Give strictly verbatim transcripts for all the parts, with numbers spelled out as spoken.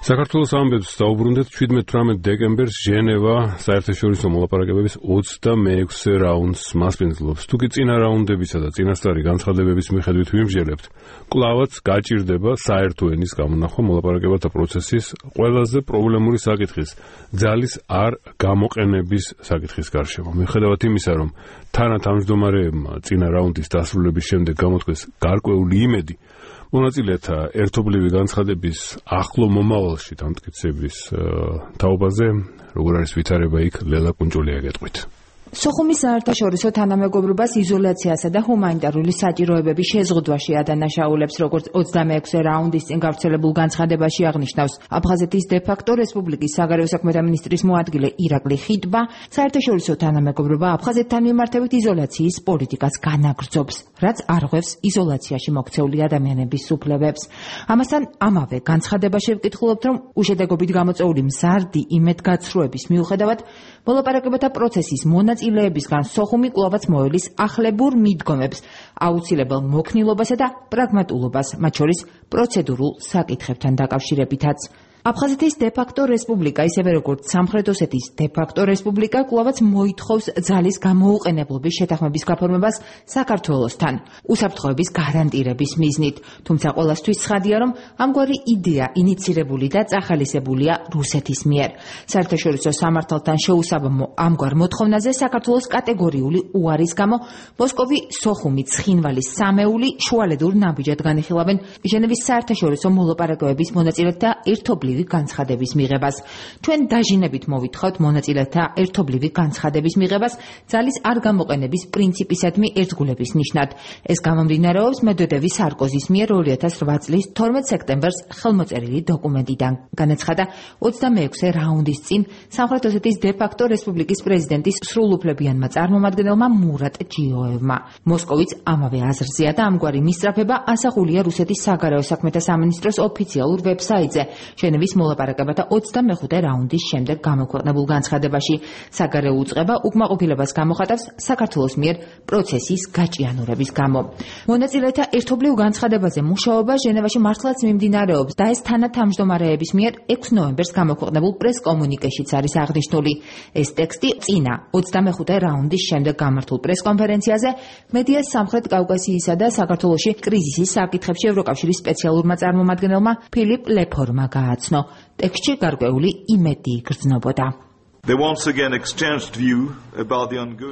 საქართველოს ამბებს დაუბრუნდეთ შვიდმეტ-თვრამეტ დეკემბერს ჟენევა საერთაშორისო მოლაპარაკებების ოცდამეექვსე რაუნდს მასპინძლობს. თუკი წინა რაუნდებისა და წინასწარი განცხადებების მიხედვით ვიმსჯელებთ, კვლავაც გაჭირდება საერთო ენის გამონახვა მოლაპარაკებათა პროცესის ყველაზე პრობლემური საკითხის, ძალის არ გამოყენების საკითხის გარშემო. მიუხედავად იმისა, რომ თანათავმჯდომარეებმა წინა რაუნდის დასრულების შემდეგ გამოთქვეს გარკვეული იმედი, მონაწილეთა ერთობლივი განცხადების ახლო მომავალში დამტკიცების თაობაზე, როგორ არის ვითარება იქ, ლელა კუნჭულია გეტყვით. სოხუმის საერთაშორისო თანამეგობრობას იზოლაციასა და ჰუმანიტარული საჭიროებების შეზღუდვაში ადანაშაულებს, როგორც ოცდამეექვსე რაუნდის წინ გავრცელებულ განცხადებაში აღნიშნავს აფხაზეთის დე-ფაქტო რესპუბლიკის საგარეო საქმეთა მინისტრის მოადგილე ირაკლი ხიტბა, საერთაშორისო თანამეგობრობა აფხაზეთთან მიმართებით იზოლაციის პოლიტიკას განაგრძობს, რაც არღვევს იზოლაციაში მოქცეული ადამიანების სუფლებებს. ამასთან ამავე განცხადებაში ვკითხულობთ, რომ უშედეგობით გამოწვეული მზარდი იმედგაცრუების მიუხედავად მოლაპარაკებათა პროცესის მონაწილეებისგან სოხუმი კვლავაც მოელის ახლებურ მიდგომებს, აუცილებელ მოქნილობასა და პრაგმატულობას, მათ შორის პროცედურულ საკითხებთან დაკავშირებითაც. აფხაზეთის დე-ფაქტო რესპუბლიკა, ისევე როგორც სამხრეთ ოსეთის დე-ფაქტო რესპუბლიკა, კვლავაც მოითხოვს ძალის გამოუყენებლობის შეთანხმების გაფორმებას საქართველოსთან, უსაფრთხოების გარანტირების მიზნით. თუმცა ყველასთვის ცხადია, რომ ამგვარი იდეა ინიცირებული და წახალისებულია რუსეთის მიერ. საერთაშორისო სამართალთან შეუსაბამო ამგვარ მოთხოვნაზე საქართველოს კატეგორიული უარის გამო მოსკოვი, სოხუმი, ცხინვალი, სამეული შუალედურ ნაბიჯად განიხილავენ ჟენევის საერთაშორისო მოლაპარაკებების მონაწილეთა ერთობლივ განცხადების მიღებას. ჩვენ დაჟინებით მოვითხოვთ მონაწილეთა ერთობლივი განცხადების მიღებას ძალის არ გამოყენების პრინციპისადმი ერთგულების ნიშნად. ეს გამომდინარეობს მედვედევის სარკოზის მიერ ორი ათას რვა წლის თორმეტ სექტემბერს ხელმოწერილი დოკუმენტიდან. განაცხადა ოცდამეექვსე რაუნდის წინ სამხრეთ ოსეთის დე-ფაქტო რესპუბლიკის პრეზიდენტის სრულუფლებიანმა წარმომადგენელმა მურატ ჯიოევმა. მოსკოვიც ამავე აზრზეა და ამგვარი მისწრაფება ასახულია რუსეთის საგარეო საქმეთა სამინისტროს ოფიციალურ ვებსაიტზე. ჟენევის მოლაპარაკებათა ოცდამეხუთე რაუნდის შემდეგ გამოქვეყნებულ განცხადებაში საგარეო უწყება უკმაყოფილებას გამოხატავს საქართველოს მიერ პროცესის გაჭიანურების გამო. მონაწილეთა ერთობლივ განცხადებაზე მუშაობა ჟენევაში მართლაც მიმდინარეობს და ეს თანათავმჯდომარეების მიერ ექვსი ნოემბერს გამოქვეყნებულ პრეს-კომუნიკეშიც არის აღნიშნული. ეს ტექსტი წინა ოცდამეხუთე რაუნდის შემდეგ გამართულ პრეს-კონფერენციაზე მედიას სამხრეთ კავკასიისა და საქართველოში კრიზისის საკითხებში ევროკავშირის სპეციალურმა წარმომადგენელმა ფილიპ ლეფორმა გააცნო. ტექსტში გარკვეული იმედი იგრძნობოდა.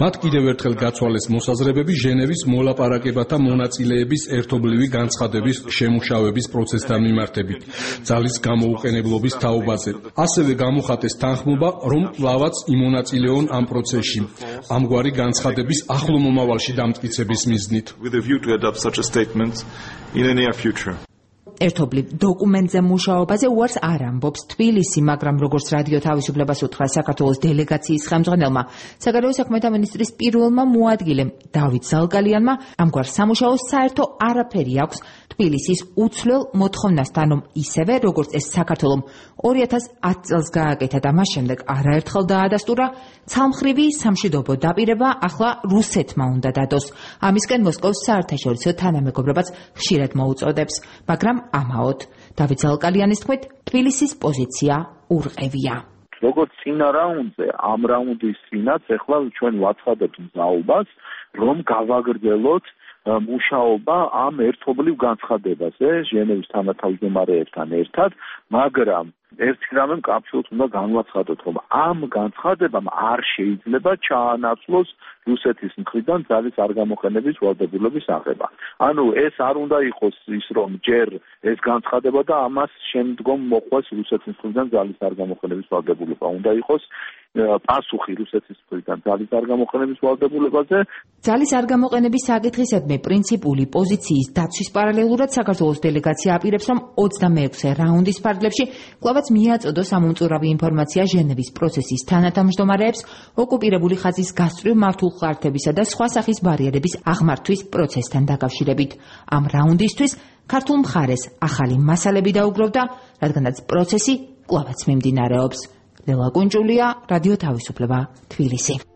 მათ კიდევ ერთხელ გაცვალეს მოსაზრებები ჟენევის მოლაპარაკებათა მონაწილეების ერთობლივი განცხადების შემუშავების პროცესთან მიმართებით, ძალის გამოუყენებლობის თაობაზე. ასევე გამოხატეს თანხმობა, რომ კვლავაც იმონაწილეონ ამ პროცესში, ამგვარი განცხადების ახლო მომავალში დამტკიცების მიზნით. ერთობლივ დოკუმენტზე მუშაობაზე უარს არ ამბობს თბილისი, მაგრამ როგორც რადიო თავისუფლებას უთხრა საქართველოს დელეგაციის ხელმძღვანელმა, საგარეო საქმეთა მინისტრის პირველმა მოადგილემ დავით ზალკალიანმა, ამგვარ სამუშაოს საერთო არაფერი აქვს თბილისის უცვლელ მოთხოვნასთან, რომ ისევე როგორც ეს საქართველომ ორი ათას ათი წელს გააკეთა და მას შემდეგ არაერთხელ დაადასტურა, ცალმხრივი სამშვიდობო დაპირება ახლა რუსეთმა უნდა დადოს. ამისკენ მოსკოვს საერთაშორისო თანამეგობრობაც ხშირად მოუწოდებს, მაგრამ ამაოდ. დავით ზალკალიანის თქმით, თბილისის პოზიცია ურყევია. როგორც წინა რაუნდზე, ამ რაუნდის წინაც ახლა ჩვენ ვაცხადებთ მზაობას, რომ გავაგრძელოთ მუშაობა ამ ერთობლივ განცხადებაზე ჟენევის თანათავმჯდომარეებთან ერთად, მაგრამ ერთი რამე კაფშულს უნდა განვაცხადოთ, რომ ამ განცხადებამ არ შეიძლება ჩაანაცვლოს რუსეთის მხრიდან ძალის არ გამოყენების ვალდებულების აღება. ანუ ეს არ უნდა იყოს ის, რომ ჯერ ეს განცხადება და ამას შემდგომ მოყვეს რუსეთის მხრიდან ძალის არ გამოყენების ვალდებულება. უნდა იყოს პასუხი რუსეთის მხრიდან ძალის არ გამოყენების ვალდებულებაზე. ძალის არ გამოყენების საკითხისადმი პრინციპული პოზიციის დაცვის პარალელურად საქართველოს დელეგაცია აპირებს, რომ ოცდამეექვსე რაუნდის ფარგლებში კვლავაც მიაწოდოს ამომწურავი ინფორმაცია ჟენევის პროცესის თანათავმჯდომარეებს ოკუპირებული ხაზის გასწვრივ მართულ ხარჯებისა და სხვა სახის ბარიერების აღმართვის პროცესთან დაკავშირებით. ამ რაუნდისთვის ქართულ მხარეს ახალი მასალები დაუგროვდა, რადგანაც პროცესი კვლავაც მიმდინარეობს. ლელა კუნჭულია, რადიო თავისუფლება, თბილისი.